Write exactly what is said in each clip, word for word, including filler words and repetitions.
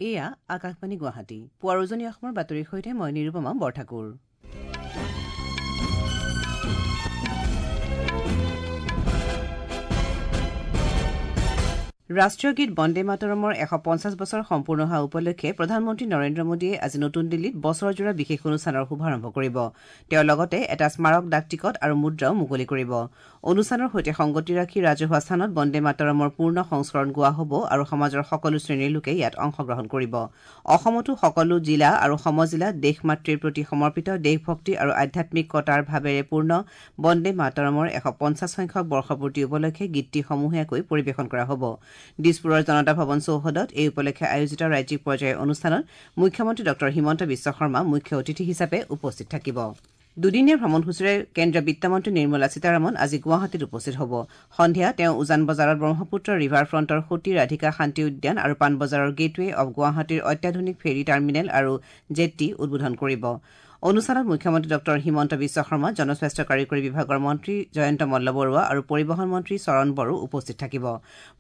এয়া আকাশবাণী গুৱাহাটী। পুৱাৰ উজনি অসমৰ বাতৰিৰ সৈতে মই নিৰুপমা বৰঠাকুৰ। ৰাষ্ট্ৰীয় গীত বন্দে মাতৰমৰ এশ পঞ্চাছ বছৰ সম্পূৰ্ণ হোৱা উপলক্ষে প্ৰধানমন্ত্ৰী নৰেন্দ্ৰ মোদীয়ে আজি নতুন দিল্লীত বছৰজোৰা বিশেষ অনুষ্ঠানৰ শুভাৰম্ভ কৰিব। তেওঁ লগতে এটা স্মাৰক ডাক টিকট আৰু মুদ্ৰাও মুকলি কৰিব। অনুষ্ঠানৰ সৈতে সংগতি ৰাখি ৰাজহুৱা স্থানত বন্দে মাতৰমৰ পূৰ্ণ সংস্কৰণ গোৱা হ'ব আৰু সমাজৰ সকলো শ্ৰেণীৰ লোকে ইয়াত অংশগ্ৰহণ কৰিব। অসমতো সকলো জিলা আৰু সমজিলাত দেশ মাতৃৰ প্ৰতি সমৰ্পিত দেশভক্তি আৰু আধ্যাত্মিকতাৰ ভাৱেৰে পূৰ্ণ বন্দে মাতৰমৰ এশ পঞ্চাছ সংখ্যক বৰ্ষপূৰ্তি উপলক্ষে গীতটি সমূহীয়াকৈ পৰিৱেশন কৰা হ'ব। দিছপুৰৰ জনতা ভৱন চৌহদত এই উপলক্ষে আয়োজিত ৰাজ্যিক পৰ্যায়ৰ অনুষ্ঠানত মুখ্যমন্ত্ৰী ডঃ হিমন্ত বিশ্ব শৰ্মা মুখ্য অতিথি হিচাপে উপস্থিত থাকিব। দুদিনীয়া ভ্ৰমণসূচীৰে কেন্দ্ৰীয় বিত্তমন্ত্ৰী নিৰ্মলা সীতাৰমণ আজি গুৱাহাটীত উপস্থিত হ'ব। সন্ধিয়া তেওঁ উজান বজাৰত ব্ৰহ্মপুত্ৰ ৰিভাৰ ফ্ৰণ্টৰ সতী ৰাধিকা শান্তি উদ্যান আৰু পাণবজাৰৰ গেটৱে অৱ গুৱাহাটীৰ অত্যাধুনিক ফেৰী টাৰ্মিনেল আৰু জেট্টি উদ্বোধন কৰিব। অনুষ্ঠানত মুখ্যমন্ত্ৰী ডঃ হিমন্ত বিশ্ব শৰ্মা, জনস্বাস্থ্য কাৰিকৰী বিভাগৰ মন্ত্ৰী জয়ন্ত মল্ল বৰুৱা আৰু পৰিবহণ মন্ত্ৰী চৰণ বড়ো উপস্থিত থাকিব।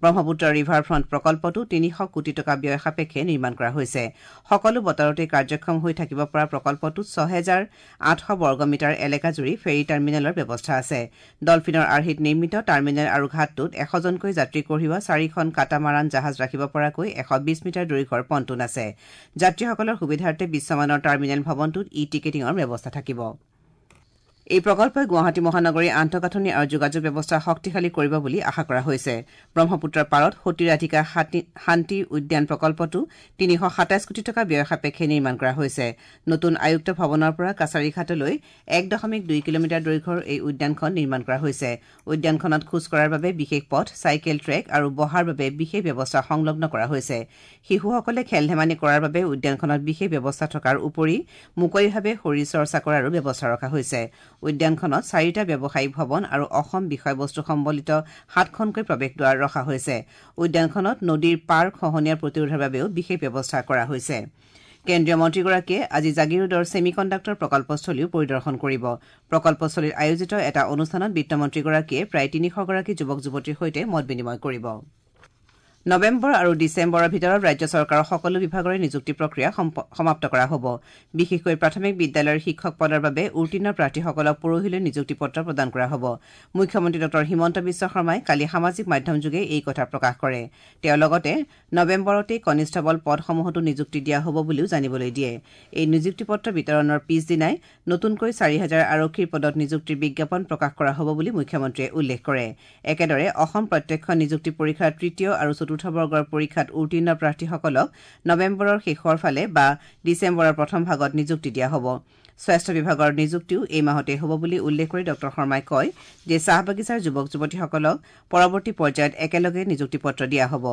ব্ৰহ্মপুত্ৰ ৰিভাৰ ফ্ৰণ্ট প্ৰকল্পটো তিনিশ কোটি টকা ব্যয় সাপেক্ষে নিৰ্মাণ কৰা হৈছে। সকলো বতৰতে কাৰ্যক্ষম হৈ থাকিব পৰা প্ৰকল্পটোত ছহেজাৰ আঠশ বৰ্গ মিটাৰ এলেকাজুৰি ফেৰী টাৰ্মিনেলৰ ব্যৱস্থা আছে। ডলফিনৰ আৰ্হিত নিৰ্মিত টাৰ্মিনেল আৰু ঘাটটোত এশজনকৈ যাত্ৰী কঢ়িওৱা চাৰিখন কাটামাৰান জাহাজ ৰাখিব পৰাকৈ এশ বিশ মিটাৰ দৈৰ্ঘ্যৰ পণ্টুন আছে। যাত্ৰীসকলৰ সুবিধাৰ্থে বিশ্বমানৰ টাৰ্মিনেল ভৱনটোত ই টিকেটিঙৰ ব্যৱস্থা থাকিব। এই প্ৰকল্পই গুৱাহাটী মহানগৰীৰ আন্তঃগাঁথনি আৰু যোগাযোগ ব্যৱস্থা শক্তিশালী কৰিব বুলি আশা কৰা হৈছে। ব্ৰহ্মপুত্ৰৰ পাৰত সতী ৰাধিকা শান্তি উদ্যান প্ৰকল্পটো তিনিশ সাতাইছ কোটি টকা ব্যয় সাপেক্ষে নিৰ্মাণ কৰা হৈছে। নতুন আয়ুক্ত ভৱনৰ পৰা কাছাৰীঘাটলৈ এক দশমিক দুই কিলোমিটাৰ দৈৰ্ঘ্যৰ এই উদ্যানখন নিৰ্মাণ কৰা হৈছে। উদ্যানখনত খোজ কঢ়াৰ বাবে বিশেষ পথ, চাইকেল ট্ৰেক আৰু বহাৰ বাবে বিশেষ ব্যৱস্থা সংলগ্ন কৰা হৈছে। শিশুসকলে খেল ধেমালি কৰাৰ বাবে উদ্যানখনত বিশেষ ব্যৱস্থা থকাৰ উপৰি মুকলিভাৱে শৰীৰ চৰ্চা কৰাৰো ব্যৱস্থা ৰখা হৈছে। উদ্যানখনত চাৰিটা ব্যৱসায়িক ভৱন আৰু অসম বিষয়বস্তু সম্বলিত সাতখনকৈ প্ৰৱেশদ্বাৰ ৰখা হৈছে। উদ্যানখনত নদীৰ পাৰ খহনীয়া প্ৰতিৰোধৰ বাবেও বিশেষ ব্যৱস্থা কৰা হৈছে। কেন্দ্ৰীয় মন্ত্ৰীগৰাকীয়ে আজি জাগিৰোডৰ ছেমি কণ্ডাক্টৰ প্ৰকল্পস্থলীও পৰিদৰ্শন কৰিব। প্ৰকল্পস্থলীত আয়োজিত এটা অনুষ্ঠানত বিত্তমন্ত্ৰীগৰাকীয়ে প্ৰায় তিনিশগৰাকী যুৱক যুৱতীৰ সৈতে মত বিনিময় কৰিব। নৱেম্বৰ আৰু ডিচেম্বৰৰ ভিতৰত ৰাজ্য চৰকাৰৰ সকলো বিভাগৰে নিযুক্তি প্ৰক্ৰিয়া সমাপ্ত কৰা হ'ব। বিশেষকৈ প্ৰাথমিক বিদ্যালয়ৰ শিক্ষক পদৰ বাবে উত্তীৰ্ণ প্ৰাৰ্থীসকলক পৰহিলৈ নিযুক্তি পত্ৰ প্ৰদান কৰা হ'ব। মুখ্যমন্ত্ৰী ডঃ হিমন্ত বিশ্ব শৰ্মাই কালি সামাজিক মাধ্যমযোগে এই কথা প্ৰকাশ কৰে। তেওঁ লগতে নৱেম্বৰতেই কনিষ্টবল পদসমূহতো নিযুক্তি দিয়া হ'ব বুলিও জানিবলৈ দিয়ে। এই নিযুক্তি পত্ৰ বিতৰণৰ পিছদিনাই নতুনকৈ চাৰি হাজাৰ আৰক্ষীৰ পদত নিযুক্তিৰ বিজ্ঞাপন প্ৰকাশ কৰা হ'ব বুলি মুখ্যমন্ত্ৰীয়ে উল্লেখ কৰে। একেদৰে অসম প্ৰত্যক্ষ নিযুক্তি পৰীক্ষাৰ তৃতীয় আৰু চতুৰ্থ বৰ্গৰ পৰীক্ষাত উত্তীৰ্ণ প্ৰাৰ্থীসকলক নৱেম্বৰৰ শেষৰ ফালে বা ডিচেম্বৰৰ প্ৰথম ভাগত নিযুক্তি দিয়া হ'ব। স্বাস্থ্য বিভাগৰ নিযুক্তিও এই মাহতে হ'ব বুলি উল্লেখ কৰি ডঃ শৰ্মাই কয় যে চাহ বাগিচাৰ যুৱক যুৱতীসকলক পৰৱৰ্তী পৰ্যায়ত একেলগে নিযুক্তি পত্ৰ দিয়া হ'ব।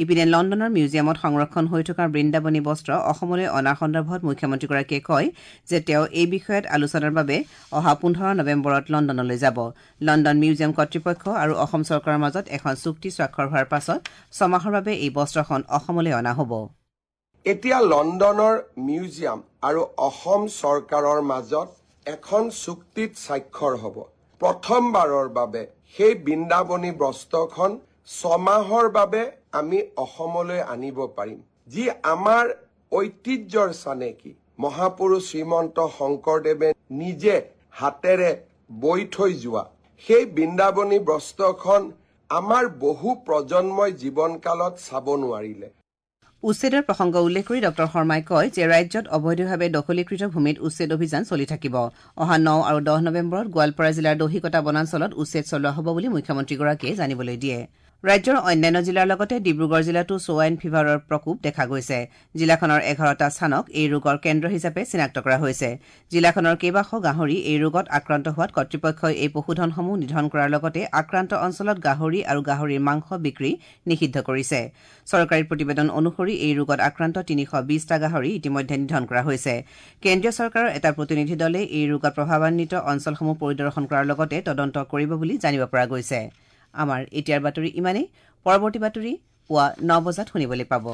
ইপিনে লণ্ডনৰ মিউজিয়ামত সংৰক্ষণ হৈ থকা বৃন্দাবনী বস্ত্ৰ অসমলৈ অনাৰ সন্দৰ্ভত মুখ্যমন্ত্ৰীগৰাকীয়ে কয় যে তেওঁ এই বিষয়ত আলোচনাৰ বাবে অহা পোন্ধৰ নৱেম্বৰত লণ্ডনলৈ যাব। লণ্ডন মিউজিয়াম কৰ্তৃপক্ষ আৰু অসম চৰকাৰৰ মাজত এখন চুক্তি স্বাক্ষৰ হোৱাৰ পাছত ছমাহৰ বাবে এই বস্ত্ৰখন অসমলৈ অনা হ'ব। এতিয়া লণ্ডনৰ মিউজিয়াম আৰু অসম চৰকাৰৰ মাজত এখন চুক্তিত স্বাক্ষৰ হ'ব। প্ৰথমবাৰৰ বাবে সেই বৃন্দাবনী বস্ত্ৰখন ছমাহৰ বাবে আমি অসমলৈ আনিব পাৰিম, যি আমাৰ ঐতিহ্যৰ চানেকি। মহাপুৰুষ শ্ৰীমন্ত শংকৰদেৱে নিজে হাতেৰে বৈ থৈ যোৱা সেই বৃন্দাবনী বস্ত্ৰখন আমাৰ বহু প্ৰজন্মই জীৱনকালত চাব নোৱাৰিলে। উচ্ছেদৰ প্ৰসংগ উল্লেখ কৰি ডঃ শৰ্মাই কয় যে ৰাজ্যত অবৈধভাৱে দখলীকৃত ভূমিত উচ্ছেদ অভিযান চলি থাকিব। অহা ন আৰু দহ নৱেম্বৰত গোৱালপাৰা জিলাৰ দহিকটা বনাঞ্চলত উচ্ছেদ চলোৱা হ'ব বুলি মুখ্যমন্ত্ৰীগৰাকীয়ে জানিবলৈ দিয়ে। ৰাজ্যৰ অন্যান্য জিলাৰ লগতে ডিব্ৰুগড় জিলাতো ছোৱাইন ফিভাৰৰ প্ৰকোপ দেখা গৈছে। জিলাখনৰ এঘাৰটা স্থানক এই ৰোগৰ কেন্দ্ৰ হিচাপে চিনাক্ত কৰা হৈছে। জিলাখনৰ কেইবাশ গাহৰি এই ৰোগত আক্ৰান্ত হোৱাত কৰ্তৃপক্ষই এই পশুধনসমূহ নিধন কৰাৰ লগতে আক্ৰান্ত অঞ্চলত গাহৰি আৰু গাহৰিৰ মাংস বিক্ৰী নিষিদ্ধ কৰিছে। চৰকাৰী প্ৰতিবেদন অনুসৰি এই ৰোগত আক্ৰান্ত তিনিশ বিশটা গাহৰি ইতিমধ্যে নিধন কৰা হৈছে। কেন্দ্ৰীয় চৰকাৰৰ এটা প্ৰতিনিধি দলে এই ৰোগত প্ৰভাৱান্বিত অঞ্চলসমূহ পৰিদৰ্শন কৰাৰ লগতে তদন্ত কৰিব বুলি জানিব পৰা গৈছে। আমাৰ এতিয়াৰ বাতৰি ইমানেই। পৰৱৰ্তী বাতৰি পুৱা ন বজাত শুনিবলৈ পাব।